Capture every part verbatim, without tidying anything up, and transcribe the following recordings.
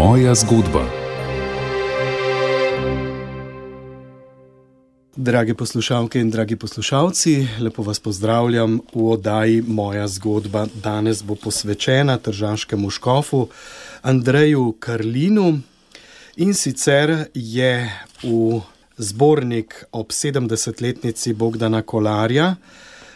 Moja zgodba. Drage poslušalke in dragi poslušalci, lepo vas pozdravljam v oddaji Moja zgodba. Danes bo posvečena tržaškemu škofu Andreju Karlinu, in sicer je v zbornik ob sedemdesetletnici Bogdana Kolarja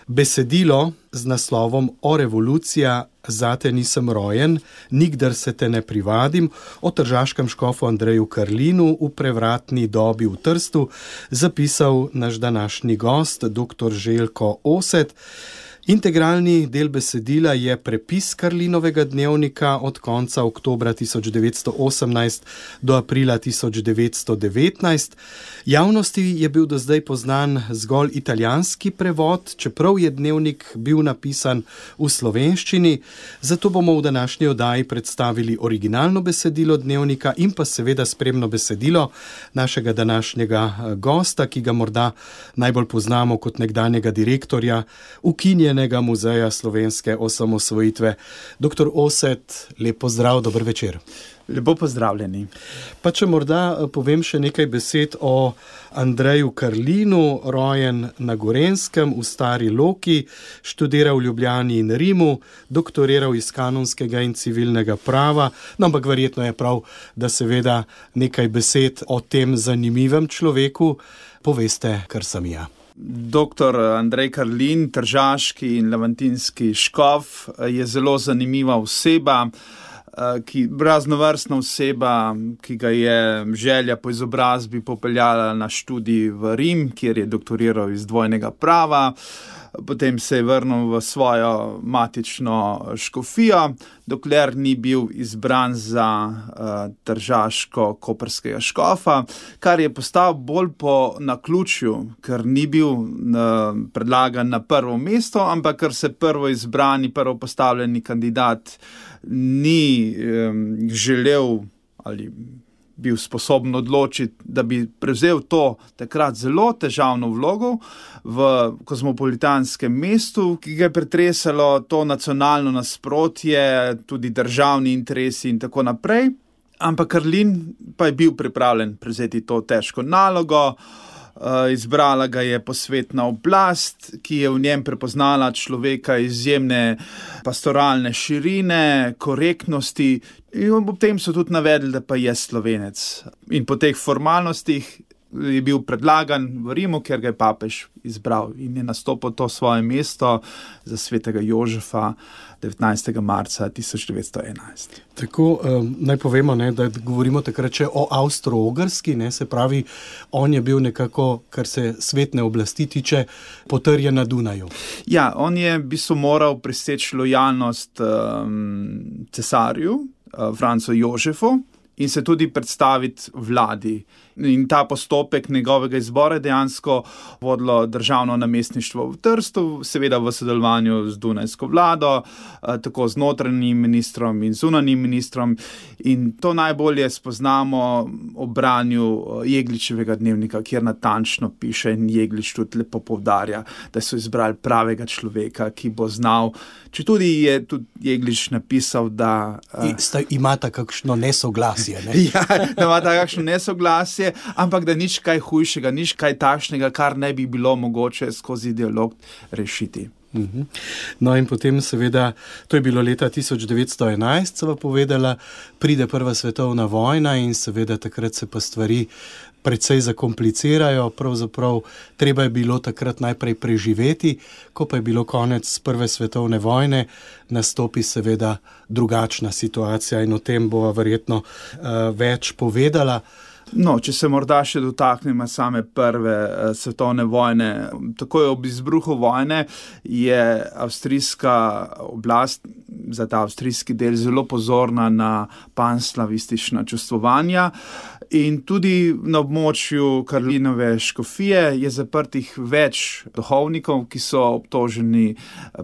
besedilo z naslovom O revolucija, zate nisem rojen, nikdar se te ne privadim, o tržaškem škofu Andreju Karlinu v prevratni dobi v Trstu zapisal naš današnji gost, doktor Željko Osed. Integralni del besedila je prepis Karlinovega dnevnika od konca oktobra tisoč devetsto osemnajst do aprila tisoč devetsto devetnajst. Javnosti je bil do zdaj poznan zgolj italijanski prevod, čeprav je dnevnik bil napisan v slovenščini, zato bomo v današnji oddaji predstavili originalno besedilo dnevnika in pa seveda spremno besedilo našega današnjega gosta, ki ga morda najbolj poznamo kot nekdanjega direktorja ukinjenega muzeja slovenske osamosvojitve. Doktor Osed, lep pozdrav, dober večer. Lepo pozdravljeni. Pa če morda povem še nekaj besed o Andreju Karlinu, rojen na Gorenjskem v Stari Loki, študiral v Ljubljani in Rimu, doktoriral iz kanonskega in civilnega prava, no, ampak verjetno je prav, da seveda nekaj besed o tem zanimivem človeku poveste, kar sem ja. Doktor Andrej Karlin, tržaški in levantinski škof, je zelo zanimiva oseba, ki, raznovrstna oseba, ki ga je želja po izobrazbi popeljala na študij v Rim, kjer je doktoriral iz dvojnega prava. Potem se je vrnil v svojo matično škofijo, dokler ni bil izbran za uh, tržaško-koprskega škofa, kar je postal bolj po naključju, ker ni bil uh, predlagan na prvo mesto, ampak ker se prvo izbrani, prvo postavljeni kandidat ni um, želel ali bil sposoben odločiti, da bi prevzel to takrat zelo težavno vlogo v kozmopolitanskem mestu, ki ga je pretresalo to nacionalno nasprotje, tudi državni interesi in tako naprej. Ampak Karlin pa je bil pripravljen prevzeti to težko nalogo. Izbrala ga je posvetna oblast, ki je v njem prepoznala človeka izjemne pastoralne širine, korektnosti, in ob tem so tudi navedli, da pa je Slovenec. In po teh formalnostih je bil predlagan v Rimu, ker ga je papež izbral in je nastopil to svoje mesto za svetega Jožefa devetnajstega marca tisoč devetsto enajst. Tako, um, naj povemo, ne, da govorimo takrat še o Avstro-Ogrski, ne, se pravi, on je bil nekako, kar se svetne oblasti tiče, potrjen na Dunaju. Ja, on je v bistvu moral preseči lojalnost um, cesarju, uh, Francu Jožefu, in se tudi predstaviti vladi. In ta postopek njegovega izbora je dejansko vodilo državno namestništvo v Trstu, seveda v sodelovanju z dunajsko vlado, tako z notranjim ministrom in zunanjim ministrom. In to najbolje spoznamo ob branju Jegličevega dnevnika, kjer natančno piše in Jeglič tudi lepo poudarja, da so izbrali pravega človeka, ki bo znal, četudi je tudi Jeglič napisal, da I, sta, imata kakšno nesoglasje, ne? Ja, da imata kakšno nesoglasje, ampak da nič kaj hujšega, nič kaj takšnega, kar ne bi bilo mogoče skozi dialog rešiti. Uh-huh. No in potem seveda, to je bilo leta tisoč devetsto enajst, sva povedala, pride prva svetovna vojna in seveda takrat se pa stvari precej zakomplicirajo, pravzaprav treba je bilo takrat najprej preživeti, ko pa je bilo konec prve svetovne vojne, nastopi seveda drugačna situacija in o tem bova verjetno uh, več povedala. No, če se morda še dotaknemo same prve uh, svetovne vojne. Takoj ob izbruhu vojne je avstrijska oblast, za ta avstrijski del, zelo pozorna na panslavistična čustvovanja. In tudi na območju Karlinove škofije je zaprtih več duhovnikov, ki so obtoženi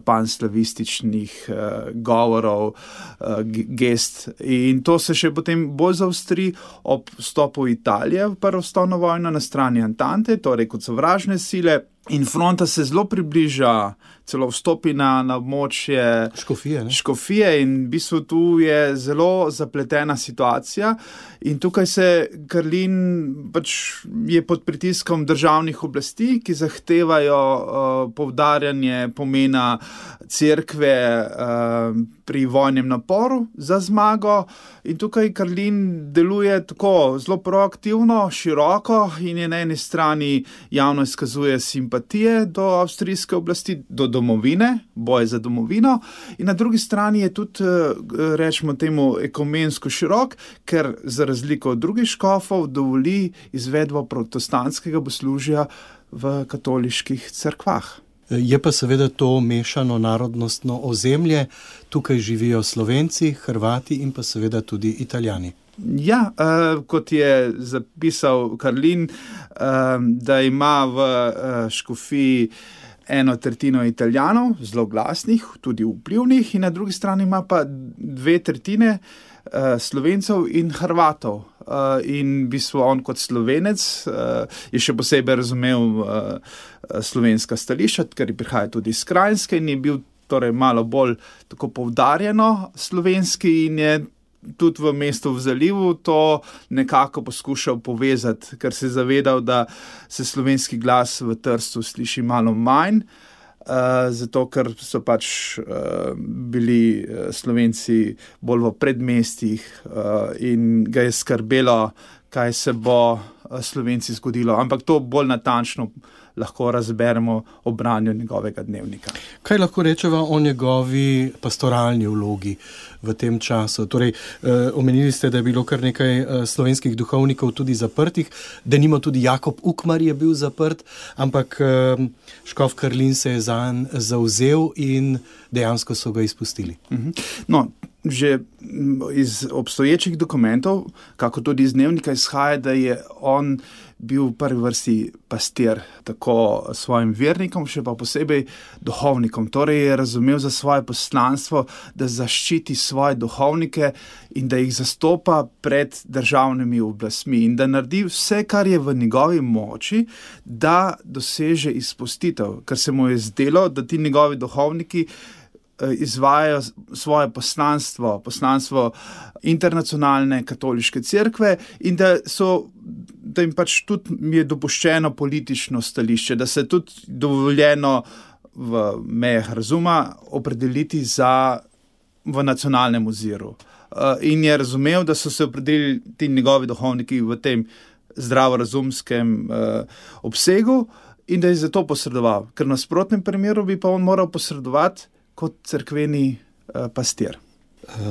panslavističnih uh, govorov, uh, gest. In to se še potem bolj zaostri ob vstopu Italije v prvo svetovno vojno na strani Antante, torej kot sovražne sile. In fronta se zelo približa, celo vstopi na, na območje Škofije, ne? Škofije in v bistvu tu je zelo zapletena situacija in tukaj se Karlin pač je pod pritiskom državnih oblasti, ki zahtevajo uh, poudarjanje pomena cerkve uh, pri vojnem naporu za zmago in tukaj Karlin deluje tako zelo proaktivno, široko in je na eni strani javno izkazuje simpatije do avstrijske oblasti, do domovine, boj za domovino in na drugi strani je tudi, rečemo temu, ekumensko širok, ker za razliko od drugih škofov dovoli izvedbo protestantskega bogoslužja v katoliških cerkvah. Je pa seveda to mešano narodnostno ozemlje, tukaj živijo Slovenci, Hrvati in pa seveda tudi Italijani. Ja, uh, kot je zapisal Karlin, uh, da ima v uh, Škofiji eno tretjino Italijanov, zelo glasnih, tudi vplivnih, in na drugi strani ima pa dve tretjine uh, Slovencev in Hrvatov. Uh, in v bistvu on kot Slovenec uh, je še posebej razumel uh, slovenska stališča, ker prihaja tudi iz Kranjske in je bil torej malo bolj tako poudarjeno slovenski in je tudi v mestu v Zalivu to nekako poskušal povezati, ker se je zavedal, da se slovenski glas v Trstu sliši malo manj, uh, zato ker so pač uh, bili Slovenci bolj v predmestjih uh, in ga je skrbelo, kaj se bo Slovenci zgodilo. Ampak to bolj natančno lahko razberemo ob branju njegovega dnevnika. Kaj lahko rečeva o njegovi pastoralni vlogi v tem času? Torej, eh, omenili ste, da je bilo kar nekaj eh, slovenskih duhovnikov tudi zaprtih, denimo tudi Jakob Ukmar je bil zaprt, ampak eh, škof Karlin se je zanj zavzel in dejansko so ga izpustili. No, že iz obstoječih dokumentov, kako tudi iz dnevnika izhaja, da je on bil v prvi vrsti pastir tako svojim vernikom, še pa posebej duhovnikom. Torej je razumel za svoje poslanstvo, da zaščiti svoje duhovnike in da jih zastopa pred državnimi oblastmi in da naredi vse, kar je v njegovi moči, da doseže izpustitev, ker se mu je zdelo, da ti njegovi duhovniki izvajajo svoje poslanstvo, poslanstvo internacionalne katoliške cerkve in da so, da jim pač tudi je dopuščeno politično stališče, da se tudi dovoljeno v mejah razuma opredeliti za v nacionalnem oziru. In je razumel, da so se opredelili ti njegovi duhovniki v tem zdravorazumskem obsegu in da je zato posredoval, ker v nasprotnem primeru bi pa on moral posredovati kot cerkveni uh, pastir.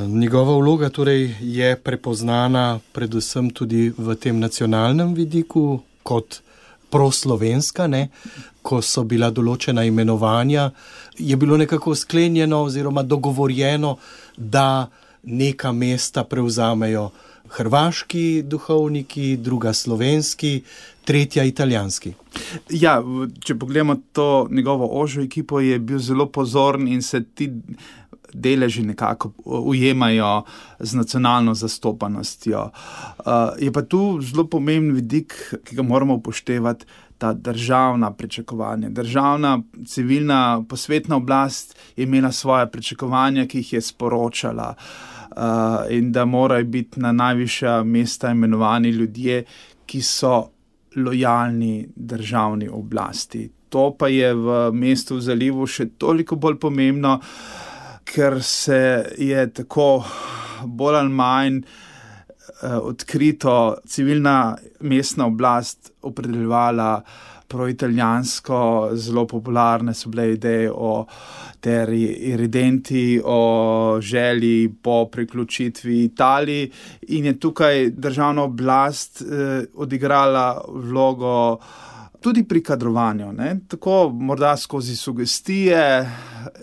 Njegova vloga torej je prepoznana predvsem tudi v tem nacionalnem vidiku kot proslovenska, ne? Ko so bila določena imenovanja, je bilo nekako sklenjeno oziroma dogovorjeno, da neka mesta prevzamejo hrvaški duhovniki, druga slovenski, tretja italijanski. Ja, če pogledamo to njegovo ožjo ekipo, je bil zelo pozoren in se ti deleži nekako ujemajo z nacionalno zastopanostjo. Uh, je pa tu zelo pomemben vidik, ki ga moramo upoštevati, ta državna pričakovanja. Državna, civilna, posvetna oblast je imela svoje pričakovanja, ki jih je sporočala. Uh, in da morajo biti na najvišja mesta imenovani ljudje, ki so lojalni državni oblasti. To pa je v mestu v Zalivu še toliko bolj pomembno, ker se je tako bolj ali manj uh, odkrito civilna mestna oblast opredeljevala proitalijansko, zelo popularne so bile ideje o ter iridenti, o želji po priključitvi Italiji in je tukaj državna oblast eh, odigrala vlogo tudi pri kadrovanju, ne? Tako morda skozi sugestije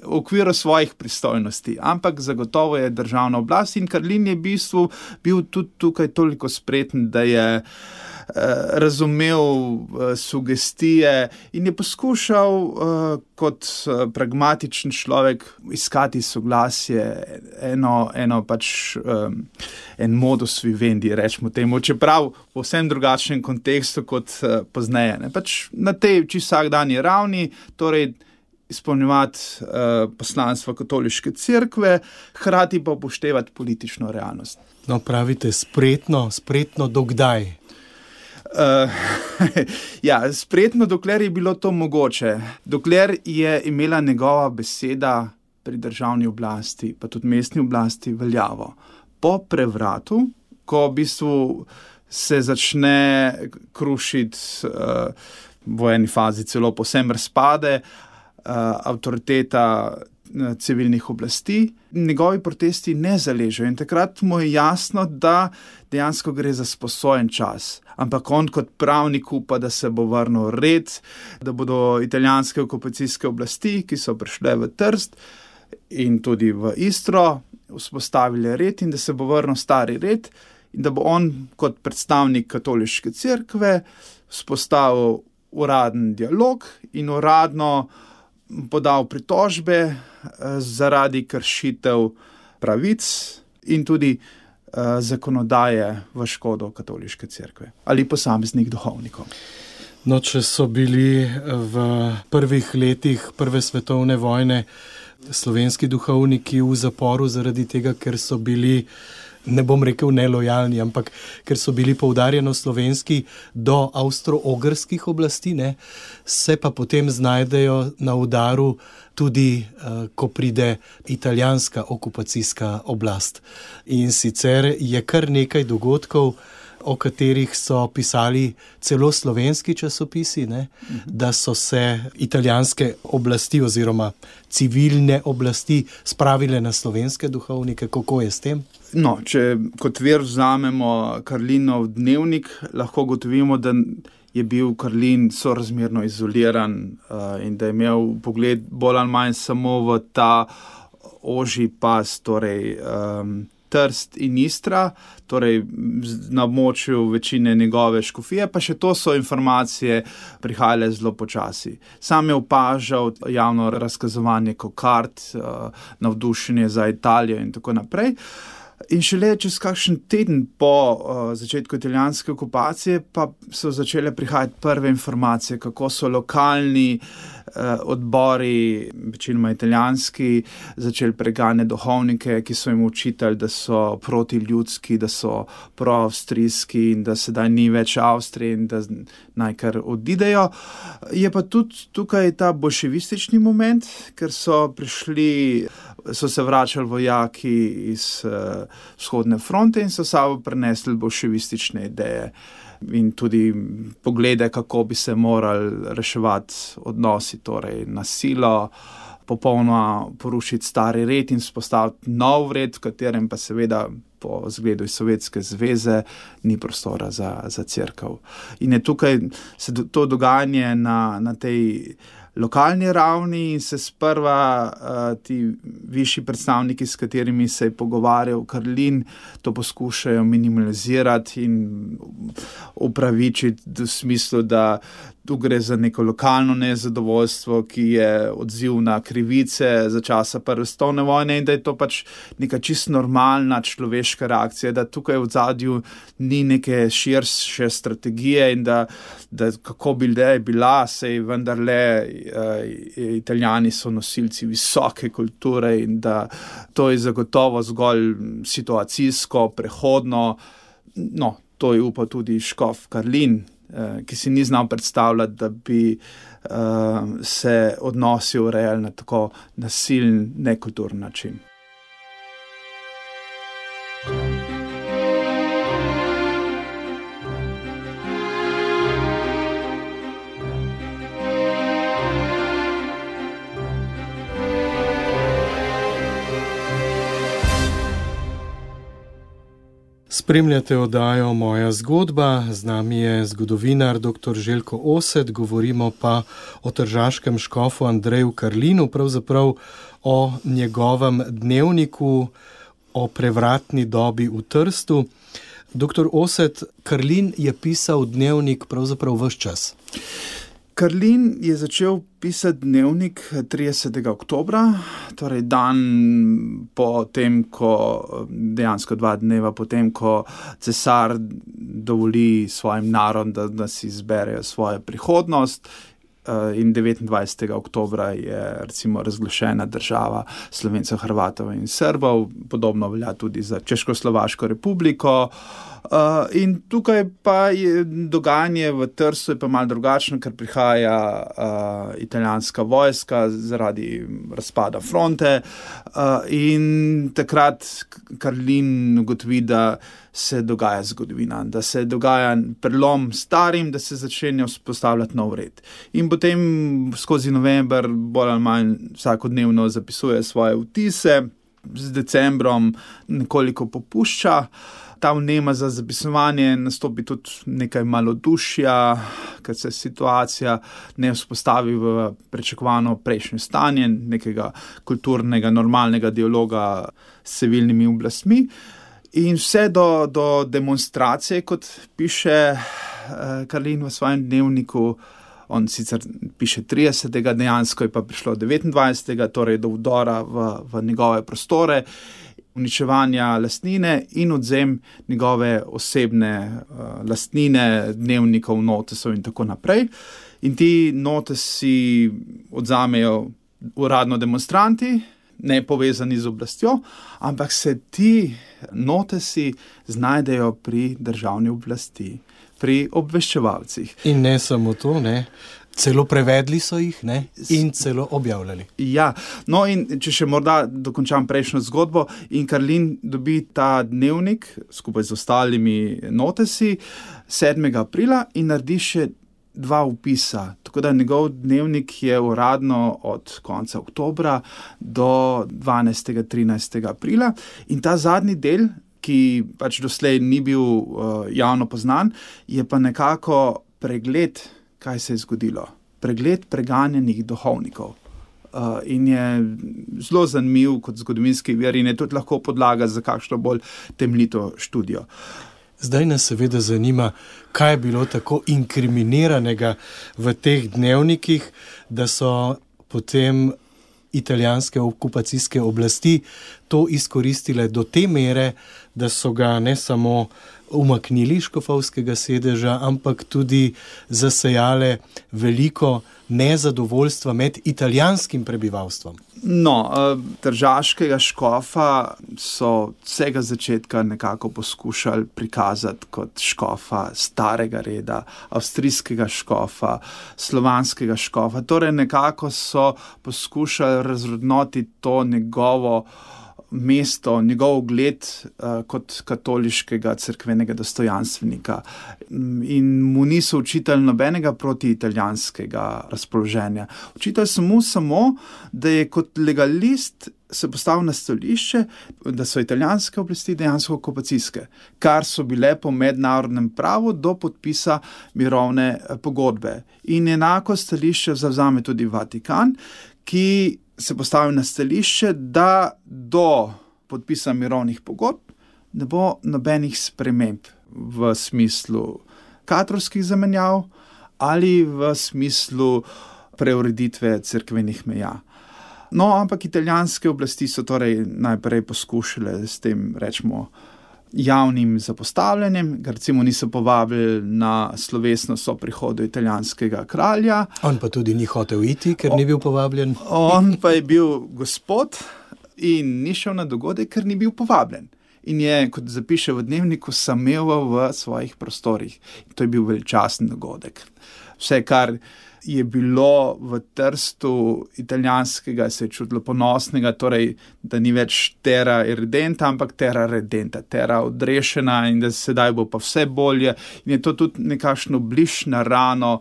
v okviru svojih pristojnosti, ampak zagotovo je državna oblast in Karlin je v bistvu bil tudi tukaj toliko spreten, da je razumel sugestije in je poskušal kot pragmatičen človek iskati soglasje, eno, eno pač en modus vivendi, rečemo temu, čeprav v povsem drugačnem kontekstu kot pozneje. Ne? Pač na tej čisto vsakdanji ravni, torej izpolnjevati uh, poslanstvo katoliške cerkve, hkrati pa upoštevati politično realnost. No, pravite spretno, spretno dokdaj? Uh, ja, spretno, dokler je bilo to mogoče. Dokler je imela njegova beseda pri državni oblasti, pa tudi mestni oblasti, veljavo. Po prevratu, ko v bistvu se začne krušiti uh, v eni fazi celo povsem razpade, avtoriteta civilnih oblasti, njegovi protesti ne zaležejo in takrat mu je jasno, da dejansko gre za sposojen čas. Ampak on kot pravnik upa, da se bo vrnil red, da bodo italijanske okupacijske oblasti, ki so prišle v Trst in tudi v Istro, vzpostavili red in da se bo vrnil stari red in da bo on kot predstavnik katoliške cerkve vzpostavil uraden dialog in uradno podal pritožbe zaradi kršitev pravic in tudi uh, zakonodaje v škodo katoliške cerkve ali posameznih duhovnikov. No, če so bili v prvih letih Prve svetovne vojne slovenski duhovniki v zaporu zaradi tega, ker so bili, ne bom rekel nelojalni, ampak ker so bili poudarjeno slovenski do avstro-ogrskih oblasti, ne, se pa potem znajdejo na udaru tudi, uh, ko pride italijanska okupacijska oblast. In sicer je kar nekaj dogodkov, o katerih so pisali celo slovenski časopisi, ne, mhm. da so se italijanske oblasti oziroma civilne oblasti spravile na slovenske duhovnike. Kako je s tem? No, če kot vir vzamemo Karlinov dnevnik, lahko gotovimo, da je bil Karlin sorazmerno izoliran uh, in da je imel pogled bolj ali manj samo v ta ožji pas, torej um, Trst in Istra, torej na območju večine njegove škofije, pa še to so informacije prihajale zelo počasi. Sam je opažal javno razkazovanje kokard, navdušenje za Italijo in tako naprej. In šele čez kakšen teden po uh, začetku italijanske okupacije pa so začele prihajati prve informacije, kako so lokalni uh, odbori, večinoma italijanski, začeli preganjati duhovnike, ki so jim učitali, da so protiljudski, da so proavstrijski in da sedaj ni več Avstrije in da naj kar odidejo. Je pa tudi tukaj ta bolševistični moment, ker so prišli, so se vračali vojaki iz uh, vzhodne fronte in so sabo prenesli bolševistične ideje in tudi poglede, kako bi se morali reševati odnosi, torej nasilo, popolnoma porušiti stari red in spostaviti nov red, v katerem pa seveda po zgledu iz Sovjetske zveze ni prostora za, za cerkev. In je tukaj se to dogajanje na, na tej lokalni ravni in se sprva uh, ti višji predstavniki, s katerimi se je pogovarjal Karlin, to poskušajo minimalizirati in upravičiti v smislu, da tu gre za neko lokalno nezadovoljstvo, ki je odziv na krivice za časa Prve svetovne vojne in da je to pač neka čisto normalna človeška reakcija, da tukaj v zadju ni neke širše strategije in da, da kako bi le bila, sej vendarle uh, Italijani so nosilci visoke kulture in da to je zagotovo zgolj situacijsko, prehodno. No, to je upal tudi škof Karlin, ki si ni znal predstavljati, da bi uh, se odnosi urejali na tako nasilen, nekulturen način. Spremljate oddajo Moja zgodba, z nami je zgodovinar doktor Željko Osed, govorimo pa o tržaškem škofu Andreju Karlinu, pravzaprav o njegovem dnevniku, o prevratni dobi v Trstu. Doktor Oset, Karlin je pisal dnevnik pravzaprav ves čas. Karlin je začel pisati dnevnik tridesetega oktobra, torej dan po tem, ko dejansko dva dneva potem, ko cesar dovoli svojim narodom, da, da si izberejo svojo prihodnost. In devetindvajsetega oktobra je recimo razglašena država Slovencev, Hrvatov in Srbov, podobno velja tudi za Češko-Slovaško republiko. Uh, in tukaj pa je dogajanje v Trstu je pa malo drugačno, ker prihaja uh, italijanska vojska zaradi razpada fronte uh, in takrat Karlin ugotovi, da se dogaja zgodovina, da se dogaja prelom starim, da se začenja vzpostavljati nov red. In potem skozi november bolj ali manj vsakodnevno zapisuje svoje vtise, z decembrom nekoliko popušča. Ta vnema za zapisovanje nastopi tudi nekaj malodušja, ker se situacija ne vzpostavi v pričakovano prejšnje stanje, nekega kulturnega, normalnega dialoga s civilnimi oblastmi. In vse do, do demonstracije, kot piše eh, Karlin v svojem dnevniku, on sicer piše tridesetega, dejansko je pa prišlo devetindvajsetega, torej do vdora v, v njegove prostore, uničevanja lastnine in odzem njegove osebne uh, lastnine, dnevnikov, notesov in tako naprej. In ti notesi odzamejo uradno demonstranti, ne povezani z oblastjo, ampak se ti notesi znajdejo pri državni oblasti, pri obveščevalcih. In ne samo to, ne? Celo prevedli so jih, ne? In celo objavljali. Ja, no in če še morda dokončam prejšnjo zgodbo, in Karlin dobi ta dnevnik skupaj z ostalimi notesi sedmega aprila in naredi še dva vpisa. Tako da njegov dnevnik je uradno od konca oktobra do dvanajstega trinajstega aprila in ta zadnji del, ki pač doslej ni bil uh, javno poznan, je pa nekako pregled, kaj se je zgodilo. Pregled preganjenih duhovnikov. Uh, in je zelo zanimiv kot zgodovinski vir in je tudi lahko podlaga za kakšno bolj temeljito študijo. Zdaj nas seveda zanima, kaj je bilo tako inkriminiranega v teh dnevnikih, da so potem italijanske okupacijske oblasti to izkoristile do te mere, da so ga ne samo umaknili škofovskega sedeža, ampak tudi zasejale veliko nezadovoljstva med italijanskim prebivalstvom. No, tržaškega škofa so vsega začetka nekako poskušali prikazati kot škofa starega reda, avstrijskega škofa, slovanskega škofa. Torej nekako so poskušali razrodnoti to njegovo mesto, njegov ugled uh, kot katoliškega cerkvenega dostojanstvenika in mu niso učitali nobenega protiitalijanskega razpoloženja. Učitali so mu samo, da je kot legalist se postavil na stališče, da so italijanske oblasti dejansko okupacijske, kar so bile po mednarodnem pravu do podpisa mirovne pogodbe. In enako stališče zavzame tudi Vatikan, ki se postavi na stališče, da do podpisa mirovnih pogodb ne bo nobenih sprememb v smislu kadrovskih zamenjav ali v smislu preureditve cerkvenih meja. No, ampak italijanske oblasti so torej najprej poskušale s tem, rečemo, javnim zapostavljanjem, ga recimo niso povabili na slovesno soprihodu italijanskega kralja. On pa tudi ni hotel iti, ker ni bil povabljen. On pa je bil gospod in ni šel na dogodek, ker ni bil povabljen. In je, kot zapiše v dnevniku, sameval v svojih prostorih. In to je bil veličasten dogodek. Vse, kar je bilo v Trstu italijanskega, se je čutilo ponosnega, torej, da ni več terra irredenta, ampak terra redenta, terra odrešena in da sedaj bo pa vse bolje. In je to tudi nekakšno bliž na rano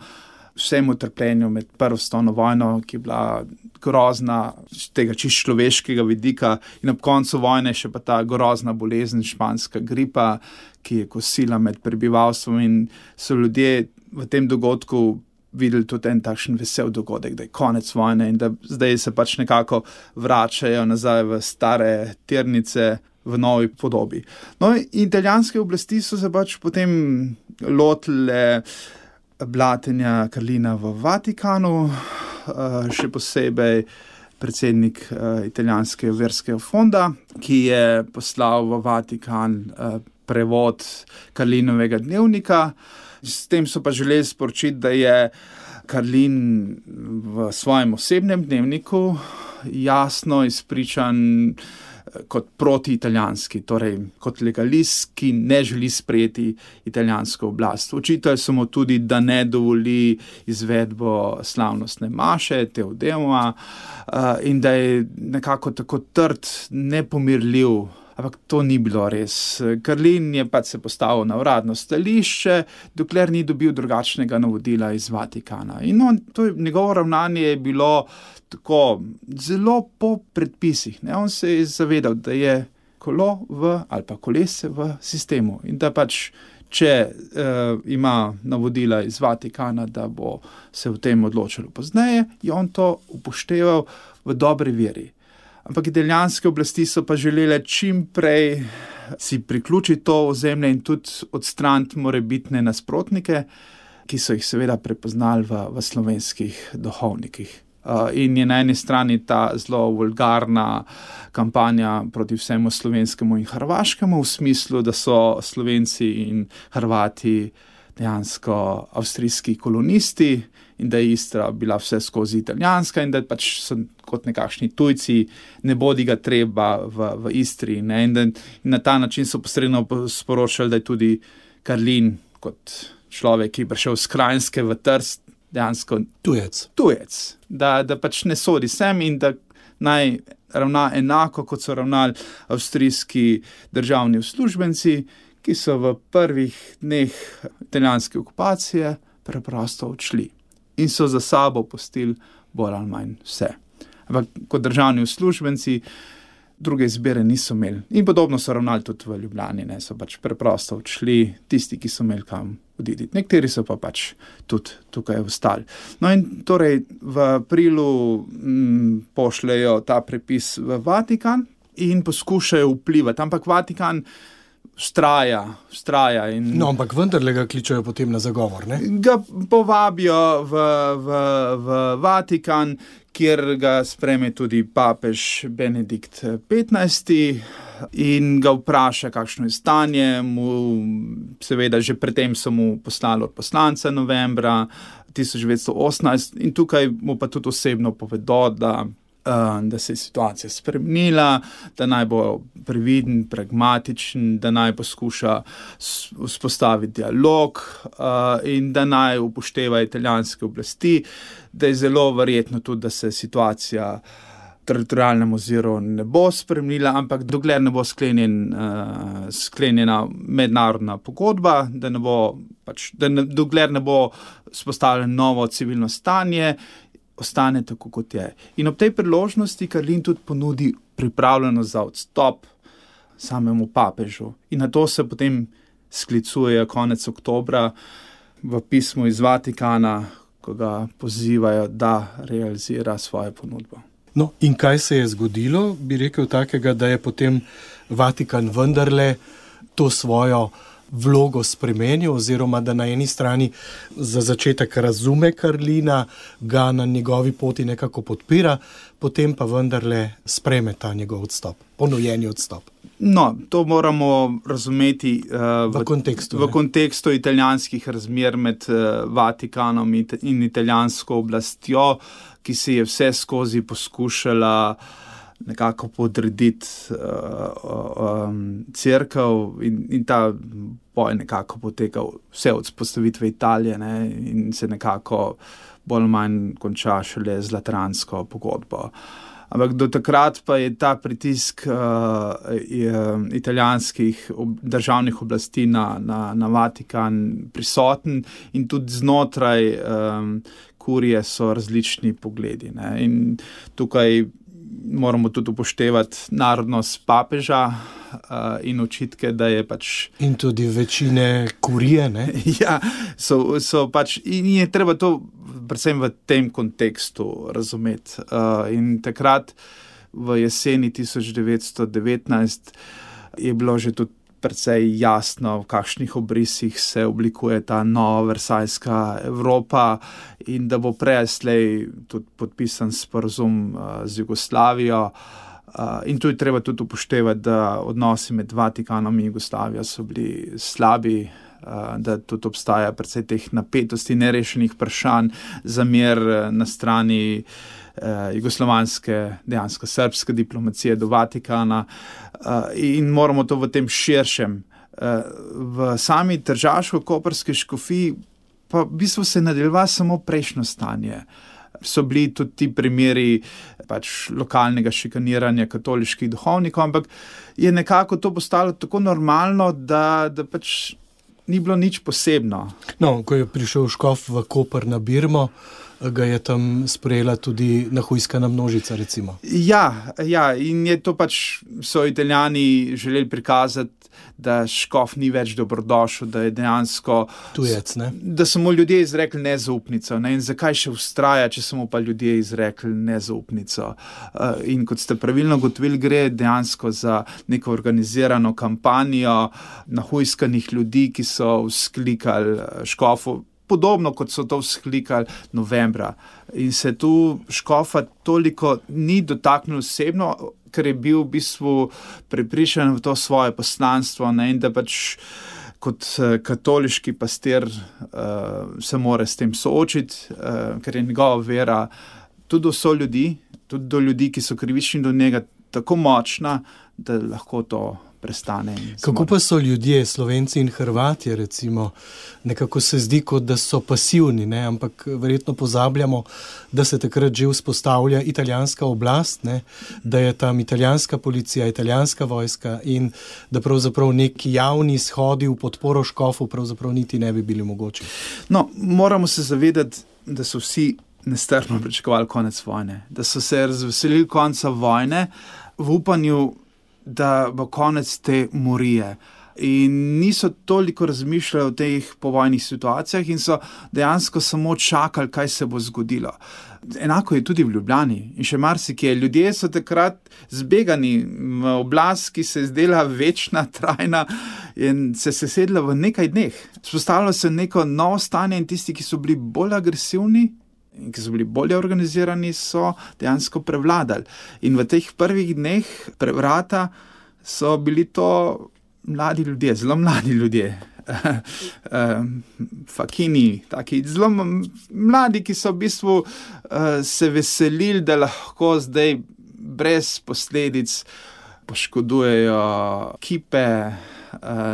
vsemu trpljenju med prvo svetovno vojno, ki je bila grozna z tega čisto človeškega vidika in ob koncu vojne še pa ta grozna bolezen, španska gripa, ki je kosila med prebivalstvom in so ljudje v tem dogodku videli tudi en takšen vesel dogodek, da je konec vojne in da zdaj se pač nekako vračajo nazaj v stare tirnice, v novi podobi. No, italijanske oblasti so se pač potem lotile blatenja Carlina v Vatikanu, še posebej predsednik italijanskega verskega fonda, ki je poslal v Vatikan prevod Carlinovega dnevnika. S tem so pa želeli sporočiti, da je Carlin v svojem osebnem dnevniku jasno izpričan kot protiitalijanski, torej kot legalist, ki ne želi sprejeti italijansko oblast. Očitali so mu tudi, da ne dovoli izvedbo slavnostne maše, Teodema, in da je nekako tako trd, nepomirljiv. Ampak to ni bilo res. Carlin je pač se postavil na uradno stališče, dokler ni dobil drugačnega navodila iz Vatikana. In on, to njegovo ravnanje je bilo tako zelo po predpisih. Ne? On se je zavedal, da je kolo v, ali pa kolese v sistemu in da pač, če uh, ima navodila iz Vatikana, da bo se v tem odločilo pozneje, je on to upošteval v dobri veri. Ampak italijanske oblasti so pa želele čim prej si priključiti to ozemlje in tudi odstraniti morebitne nasprotnike, ki so jih seveda prepoznali v, v slovenskih duhovnikih. Uh, in je na eni strani ta zelo vulgarna kampanja proti vsemu slovenskemu in hrvaškemu, v smislu, da so Slovenci in Hrvati dejansko avstrijski kolonisti in da je Istra bila vse skozi italijanska in da pač so kot nekakšni tujci, ne bodi ga treba v, v Istri. Ne? In, da, in na ta način so posredno sporočali, da je tudi Carlin kot človek, ki je prišel z Krajinske v Trst, dejansko tujec. tujec. Da, da pač ne sodi sem in da naj ravna enako, kot so ravnali avstrijski državni uslužbenci, ki so v prvih dneh italijanske okupacije preprosto odšli in so za sabo pustili bolj ali manj vse. Ampak kot državni uslužbenci druge izbire niso imeli. In podobno so ravnali tudi v Ljubljani, ne, so pač preprosto odšli tisti, ki so imeli kam oditi. Nekateri so pa pač tudi tukaj ostali. No in torej v aprilu m, pošljajo ta prepis v Vatikan in poskušajo vplivati, ampak Vatikan Vztraja, vztraja. In no, ampak vendarle ga kličajo potem na zagovor, ne? Ga povabijo v, v, v Vatikan, kjer ga sprejme tudi papež Benedikt petnajsti in ga vpraša, kakšno je stanje. Mu, seveda, že predtem so mu poslali od poslanca novembra tisoč devetsto osemnajst in tukaj mu pa tudi osebno povedo, da da se je situacija spremenila, da naj bo previden, pragmatičen, da naj poskuša vzpostaviti dialog in da naj upošteva italijanske oblasti, da je zelo verjetno tudi, da se situacija teritorialnem oziru ne bo spremenila, ampak dokler ne bo sklenjen, sklenjena mednarodna pogodba, da ne bo, pač, da ne, dokler ne bo vzpostavljeno novo civilno stanje, ostane tako, kot je. In ob tej priložnosti Carlin tudi ponudi pripravljenost za odstop samemu papežu. In na to se potem sklicuje konec oktobra v pismu iz Vatikana, ko ga pozivajo, da realizira svojo ponudbo. No, in kaj se je zgodilo, bi rekel takega, da je potem Vatikan vendarle to svojo vlogo spremenil, oziroma da na eni strani za začetek razume Carlina, ga na njegovi poti nekako podpira, potem pa vendarle spreme ta njegov odstop, ponujeni odstop. No, to moramo razumeti uh, v, v, kontekstu, v kontekstu italijanskih razmer med uh, Vatikanom in italijansko oblastjo, ki se je vse skozi poskušala nekako podrediti uh, um, cerkev in, in ta boj nekako potekal vse od vzpostavitve Italije, ne, in se nekako bolj manj konča šele z Lateransko pogodbo. Ampak do takrat pa je ta pritisk uh, je, italijanskih ob, državnih oblasti na, na, na Vatikan prisoten in tudi znotraj um, kurije so različni pogledi. Ne. In tukaj moramo tudi upoštevati narodnost papeža uh, in očitke, da je pač... In tudi večine kurije, ne? Ja, so, so pač... In je treba to predvsem v tem kontekstu razumeti. Uh, in takrat v jeseni tisoč devetsto devetnajst je bilo že tudi precej jasno, v kakšnih obrisih se oblikuje ta nova versajska Evropa in da bo prej slej tudi podpisan sporazum z Jugoslavijo. In tu je treba tudi upoštevati, da odnosi med Vatikanom in Jugoslavijo so bili slabi, da tudi obstaja precej teh napetosti, nerešenih vprašanj, zamer na strani jugoslovanske, dejansko srbske diplomacije do Vatikana in moramo to v tem širšem. V sami tržaško-koprski škofiji pa v bistvu se nadaljeva samo prejšnjo stanje. So bili tudi ti primeri pač lokalnega šikaniranja katoliških duhovnikov, ampak je nekako to postalo tako normalno, da, da pač ni bilo nič posebno. No, ko je prišel škof v Koper na Birmo, ga je tam sprejela tudi nahujskana množica, recimo. Ja, ja, in je to pač, so Italijani želeli prikazati, da škof ni več dobrodošel, da je dejansko tujec, ne? Da so mu ljudje izrekli nezaupnico, ne? In zakaj še vztraja, če so mu pa ljudje izrekli nezaupnico. In kot ste pravilno ugotovili, gre dejansko za neko organizirano kampanjo nahujskanih ljudi, ki so vzklikali škofu, podobno kot so to vzklikali novembra. In se tu škofa toliko ni dotaknil osebno, ker je bil v bistvu prepričan v to svoje poslanstvo, ne, in da pač kot katoliški pastir uh, se mora s tem soočiti, uh, ker je njegova vera tudi do so ljudi, tudi do ljudi, ki so krivični do njega, tako močna, da lahko to prestane. Kako pa so ljudje, Slovenci in Hrvatje, recimo, nekako se zdi, kot da so pasivni, ne? Ampak verjetno pozabljamo, da se takrat že vzpostavlja italijanska oblast, ne? Da je tam italijanska policija, italijanska vojska in da pravzaprav neki javni shodi v podporo škofu pravzaprav niti ne bi bili mogoči. No, moramo se zavedati, da so vsi nestrpno pričakovali konec vojne, da so se razveselili konca vojne v upanju, da bo konec te morije. In niso toliko razmišljali o teh povojnih situacijah in so dejansko samo čakali, kaj se bo zgodilo. Enako je tudi v Ljubljani in še marsikje. Ljudje so takrat zbegani v oblast, ki se je zdela večna, trajna in se je sesedla v nekaj dneh. Spostavilo se neko novo stanje in tisti, ki so bili bolj agresivni in ki so bili bolje organizirani, so dejansko prevladali. In v teh prvih dneh prevrata so bili to mladi ljudje, zelo mladi ljudje. Fakini, taki zelo mladi, ki so v bistvu se veselili, da lahko zdaj brez posledic poškodujejo kipe,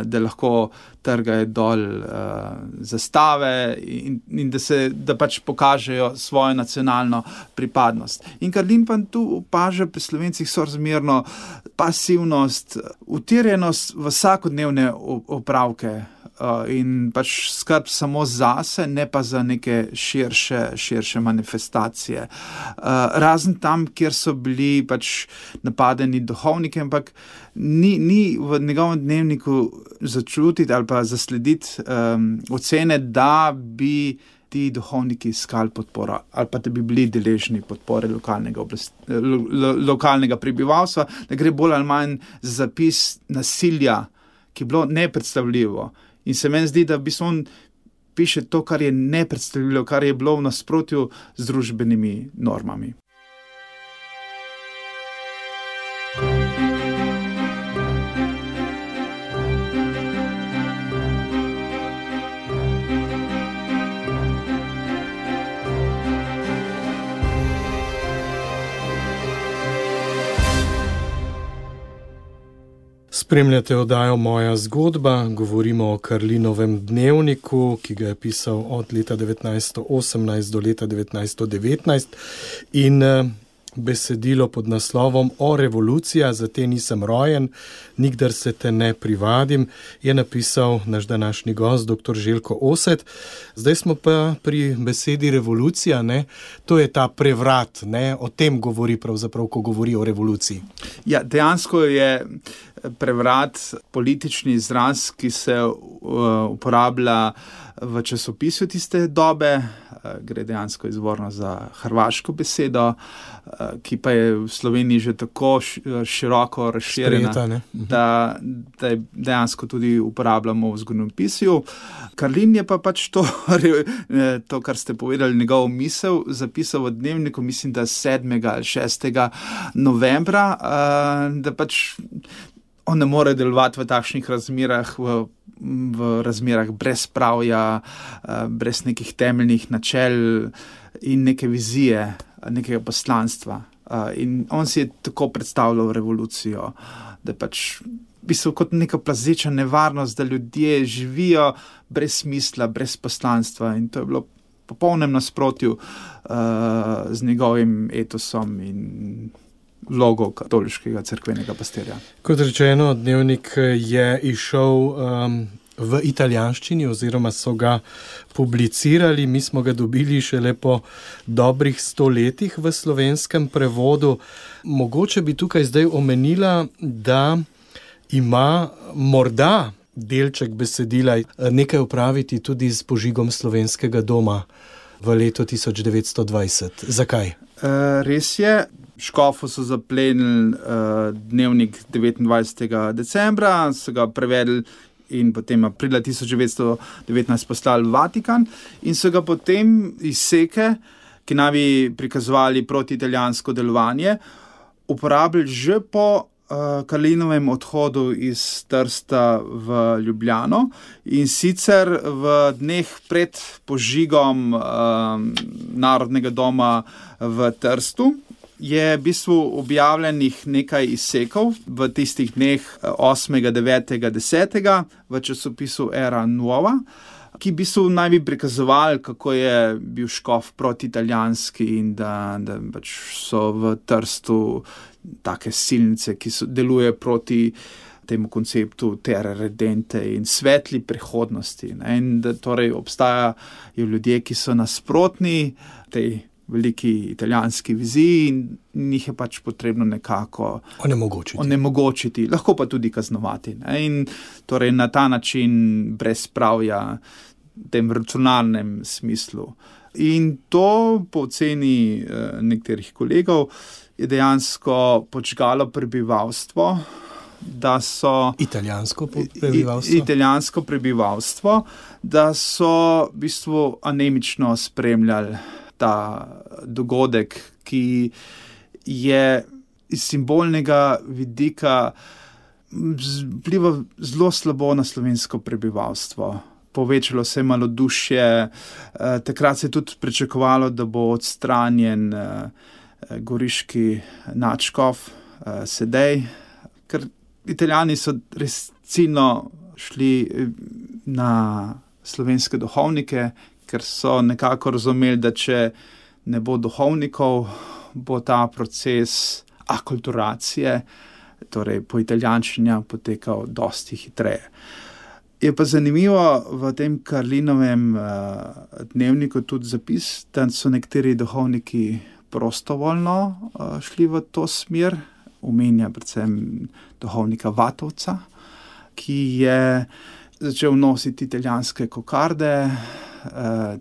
da lahko trgajo dol uh, zastave in, in da se da pač pokažejo svojo nacionalno pripadnost. In Karlin pa tu opaža pri Slovencih sorazmerno pasivnost, utirjenost v vsakodnevne opravke uh, in pač skrb samo zase, ne pa za neke širše, širše manifestacije. Uh, razen tam, kjer so bili pač napadeni duhovniki, ampak ni, ni v njegovem dnevniku začutiti ali pa zaslediti um, ocene, da bi ti duhovniki iskali podporo ali pa da bi bili deležni podpore lokalnega, oblast, lo, lo, lokalnega prebivalstva, da gre bolj ali manj za zapis nasilja, ki je bilo nepredstavljivo. In se meni zdi, da v bistvu on piše to, kar je nepredstavljivo, kar je bilo v nasprotju z družbenimi normami. Spremljate oddajo Moja zgodba, govorimo o Karlinovem dnevniku, ki ga je pisal od leta devetnajststo osemnajst do leta devetnajststo devetnajst in besedilo pod naslovom O revolucija, za te nisem rojen, nikdar se te ne privadim, je napisal naš današnji gost, doktor Željko Oset. Zdaj smo pa pri besedi revolucija, ne? To je ta prevrat, ne? O tem govori pravzaprav, ko govori o revoluciji. Ja, dejansko je prevrat politični izraz, ki se uh, uporablja v časopisu tiste dobe, gre dejansko izvorno za hrvaško besedo, ki pa je v Sloveniji že tako široko razširjena, Sprejeta, da, da je dejansko tudi uporabljamo v zgodovinopisju. Karlin je pa pač to, to, kar ste povedali, njegov misel zapisal v dnevniku, mislim, da sedmega ali šestega novembra, da pač on ne more delovati v takšnih razmerah, v, v razmerah brez pravja, brez nekih temeljnih načel in neke vizije, nekega poslanstva. In on si je tako predstavljal revolucijo, da pač v bistvu kot neka plazeča nevarnost, da ljudje živijo brez smisla, brez poslanstva, in to je bilo v popolnem nasprotju uh, z njegovim etosom in vlogo katoliškega cerkvenega pastirja. Kot rečeno, dnevnik je išel um, v italijanščini oziroma so ga publicirali. Mi smo ga dobili šele po dobrih sto letih v slovenskem prevodu. Mogoče bi tukaj zdaj omenila, da ima morda delček besedila nekaj opraviti tudi s požigom Slovenskega doma v letu tisoč devetsto dvajset. Zakaj? Uh, res je. Škofu so zaplenili uh, dnevnik devetindvajsetega decembra, so ga prevedli in potem aprila tisoč devetsto devetnajst poslali v Vatikan in so ga potem izseke, ki naj bi prikazovali proti italijansko delovanje, uporabili že po uh, Karlinovem odhodu iz Trsta v Ljubljano, in sicer v dneh pred požigom uh, Narodnega doma v Trstu je v bistvu objavljenih nekaj izsekov v tistih dneh osmega, devetega, desetega v časopisu Era Nuova, ki v bistvu naj bi prikazovali, kako je bil škof protiitalijanski in da, da pač so v Trstu take silnice, ki so, deluje proti temu konceptu terra redente in svetli prihodnosti. Ne? In da torej obstajajo ljudje, ki so nasprotni tej veliki italijanski viziji in njih je pač potrebno nekako onemogočiti. onemogočiti, lahko pa tudi kaznovati. Ne? In torej na ta način brez pravja, v tem racionalnem smislu. In to po oceni eh, nekaterih kolegov je dejansko počgalo prebivalstvo, da so italijansko prebivalstvo, italijansko prebivalstvo, da so v bistvu anemično spremljali ta dogodek, ki je iz simbolnega vidika vpliva zelo slabo na slovensko prebivalstvo. Povečalo se je malodušje, takrat se je tudi pričakovalo, da bo odstranjen goriški nadškof Sedej, ker Italijani so res ciljno šli na slovenske duhovnike, ker so nekako razumeli, da če ne bo duhovnikov, bo ta proces akulturacije, torej po italijanščini, potekal dosti hitreje. Je pa zanimivo v tem Karlinovem uh, dnevniku tudi zapis, da so nekateri duhovniki prostovoljno uh, šli v to smer, omenja predvsem duhovnika Vatovca, ki je začel nositi italijanske kokarde,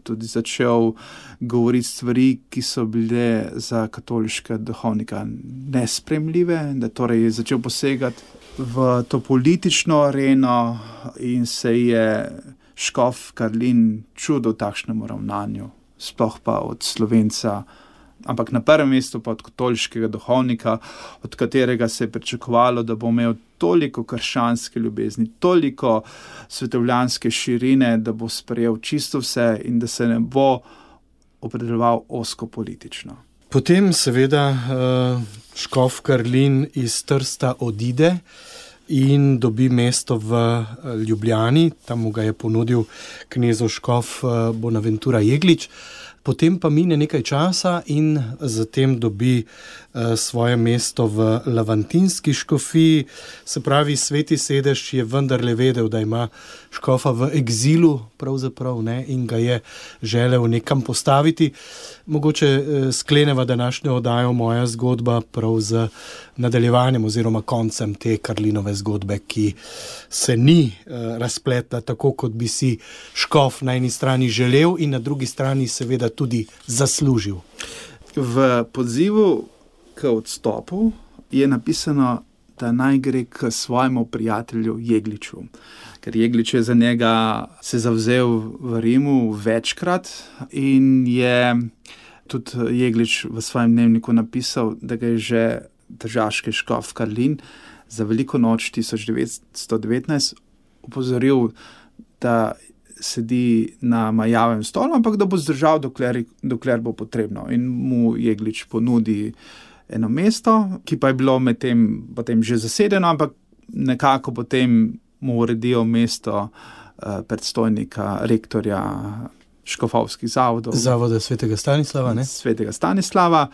tudi začel govoriti stvari, ki so bile za katoliške duhovnika nespremljive, da torej je začel posegati v to politično areno in se je škof Karlin čudil takšnemu ravnanju, sploh pa od Slovenca, ampak na prvem mestu pa od katoliškega duhovnika, od katerega se je pričakovalo, da bo imel toliko krščanske ljubezni, toliko svetovljanske širine, da bo sprejel čisto vse in da se ne bo opredeljeval ozko politično. Potem seveda škof Karlin iz Trsta odide in dobi mesto v Ljubljani, tam mu ga je ponudil knezov škof Bonaventura Jeglič. potem pa mine nekaj časa in zatem dobi uh, svoje mesto v Lavantinski škofiji. Se pravi, sveti sedež je vendarle vedel, da ima škofa v egzilu pravzaprav, ne, in ga je želel nekam postaviti. Mogoče uh, skleneva današnjo oddajo Moja zgodba prav z nadaljevanjem oziroma koncem te Karlinove zgodbe, ki se ni uh, razpletla tako, kot bi si škof na eni strani želel in na drugi strani seveda tudi zaslužil. V pozivu k odstopu je napisano, da naj gre k svojemu prijatelju Jegliču. Ker Jeglič je za njega se zavzel v Rimu večkrat in je tudi Jeglič v svojem dnevniku napisal, da ga je že tržaški škof Karlin za veliko noč tisoč devetsto devetnajst opozoril, da sedi na majavem stolu, ampak da bo zdržal, dokler, dokler bo potrebno. In mu Jeglič ponudi eno mesto, ki pa je bilo med tem potem že zasedeno, ampak nekako potem mu uredijo mesto uh, predstojnika, rektorja škofovskih zavodov. Zavoda svetega Stanislava, ne? Svetega Stanislava.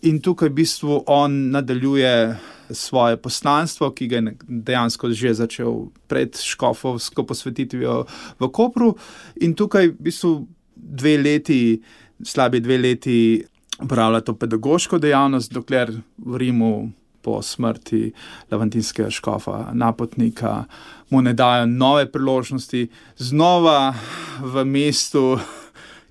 In tukaj v bistvu on nadaljuje svoje poslanstvo, ki ga je dejansko že začel pred škofovsko posvetitvijo v Kopru. In tukaj v bistvu dve leti, slabi dve leti upravlja to pedagoško dejavnost, dokler v Rimu po smrti lavantinskega škofa Napotnika mu ne dajo nove priložnosti, znova v mestu,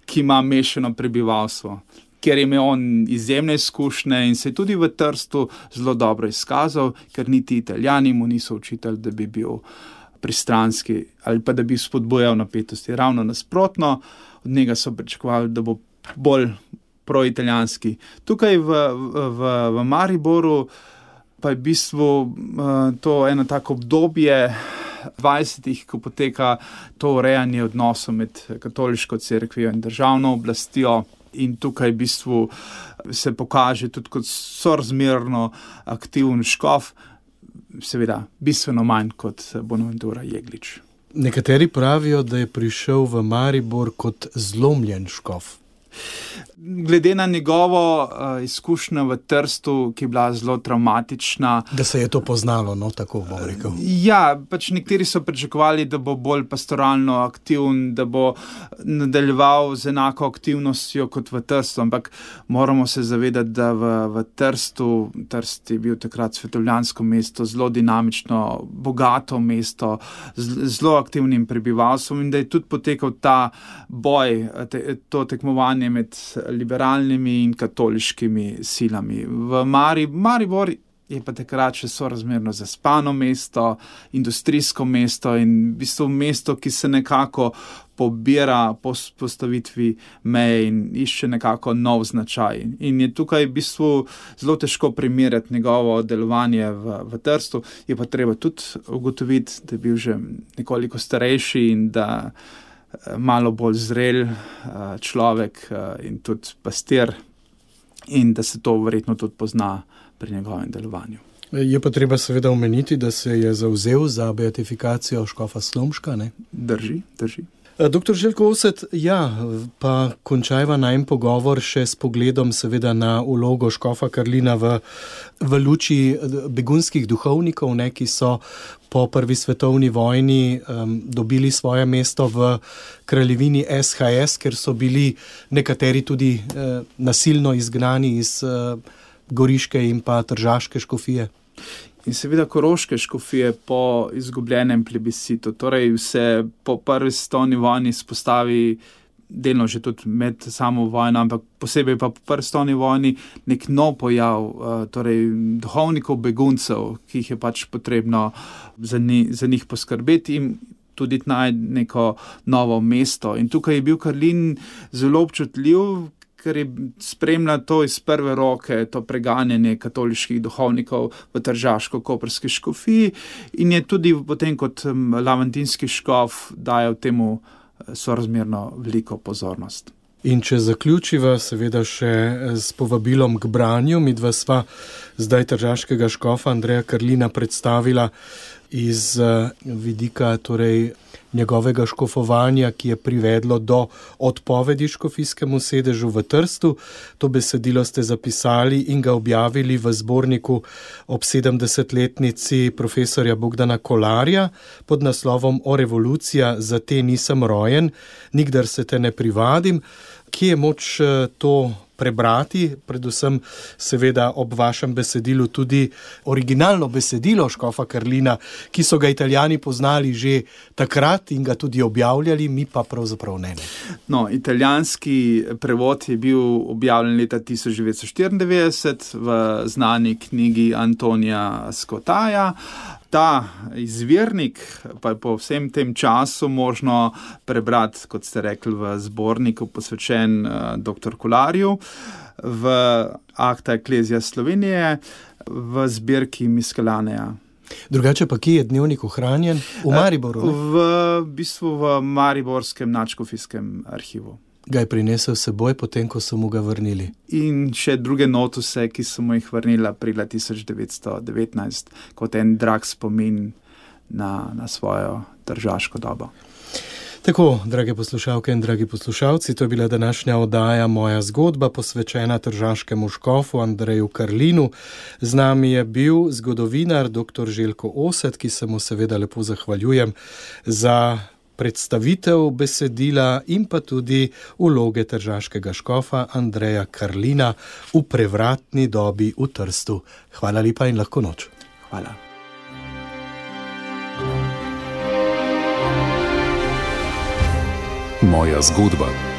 ki ima mešano prebivalstvo, ker je imel on izjemne izkušnje in se je tudi v Trstu zelo dobro izkazal, ker niti Italijani mu niso učitelj, da bi bil pristranski ali pa da bi spodbujal napetosti. Ravno nasprotno, od njega so pričakovali, da bo bolj proitalijanski. Tukaj v, v, v Mariboru pa je v bistvu uh, to eno tako obdobje dvajsetih, ko poteka to urejanje odnosov med katoliško cerkvijo in državno oblastjo. In tukaj v bistvu se pokaže tudi kot sorazmerno aktiven škof, seveda bistveno manj kot Bonaventura Jeglič. Nekateri pravijo, da je prišel v Maribor kot zlomljen škof. Glede na njegovo uh, izkušnjo v Trstu, ki je bila zelo travmatična. Da se je to poznalo, no, tako bom rekel. Ja, pač nekateri so pričakovali, da bo bolj pastoralno aktiven, da bo nadaljeval z enako aktivnostjo kot v Trstu, ampak moramo se zavedati, da v, v Trstu, Trst je bil takrat svetovljansko mesto, zelo dinamično, bogato mesto, z, zelo aktivnim prebivalstvom in da je tudi potekal ta boj, te, to tekmovanje med liberalnimi in katoliškimi silami. V Mari, Maribor je pa takrat še sorazmerno zaspano mesto, industrijsko mesto in v bistvu mesto, ki se nekako pobira po postavitvi meje in išče nekako nov značaj. In je tukaj v bistvu zelo težko primerjati njegovo delovanje v, v Trstu. Je pa treba tudi ugotoviti, da je bil že nekoliko starejši in da malo bolj zrel človek in tudi pastir in da se to verjetno tudi pozna pri njegovem delovanju. Je pa treba seveda omeniti, da se je zavzel za beatifikacijo škofa Slomška, ne? Drži, drži. Doktor Željko Oset, ja, pa končajva najm pogovor še s pogledom seveda na vlogo škofa Karlina v, v luči begunskih duhovnikov, ne, ki so po prvi svetovni vojni um, dobili svoje mesto v kraljevini S H S, ker so bili nekateri tudi uh, nasilno izgnani iz uh, Goriške in pa Tržaške škofije. In seveda Koroške škofije po izgubljenem plebiscitu, torej se po prvi svetovni vojni spostavi delno že tudi med samo vojno, ampak posebej pa po prvi svetovni vojni nek nov pojav, torej duhovnikov beguncev, ki jih je pač potrebno za, ni, za njih poskrbeti in tudi najti neko novo mesto. In tukaj je bil Karlin zelo občutljiv, ker je spremlja to iz prve roke, to preganjanje katoliških duhovnikov v Tržaško-koprski škofiji in je tudi potem kot lavantinski škof dajal temu sorazmerno veliko pozornost. In če zaključiva seveda še s povabilom k branju, midva sva zdaj tržaškega škofa Andreja Karlina predstavila iz vidika torej njegovega škofovanja, ki je privedlo do odpovedi škofijskemu sedežu v Trstu. To besedilo ste zapisali in ga objavili v zborniku ob sedemdesetletnici profesorja Bogdana Kolarja pod naslovom O revolucija, za te nisem rojen, nikdar se te ne privadim. Kje je moč to prebrati, predvsem seveda ob vašem besedilu tudi originalno besedilo škofa Karlina, ki so ga Italijani poznali že takrat in ga tudi objavljali, mi pa pravzaprav ne. No, italijanski prevod je bil objavljen leta tisoč devetsto štiriindevetdeset v znani knjigi Antonija Scottaja. Ta izvirnik pa je po vsem tem času možno prebrati, kot ste rekli, v zborniku posvečen uh, doktor Kolarju, v Acta Ecclesia Slovenije, v zbirki Miscellaneja. Drugače pa kje je dnevnik ohranjen? V Mariboru? Ne? V bistvu v Mariborskem nadškofijskem arhivu. Ga je prinesel s seboj, potem ko so mu ga vrnili. In še druge notuse, ki so mu jih vrnila aprila tisoč devetsto devetnajst, kot en drag spomin na, na svojo tržaško dobo. Tako, drage poslušalke in dragi poslušalci, to je bila današnja oddaja Moja zgodba, posvečena tržaškemu škofu Andreju Karlinu. Z nami je bil zgodovinar doktor Željko Osed, ki se mu seveda lepo zahvaljujem za predstavitev besedila in pa tudi vloge tržaškega škofa Andreja Karlina v prevratni dobi v Trstu. Hvala lepa in lahko noč. Hvala. Moja zgodba.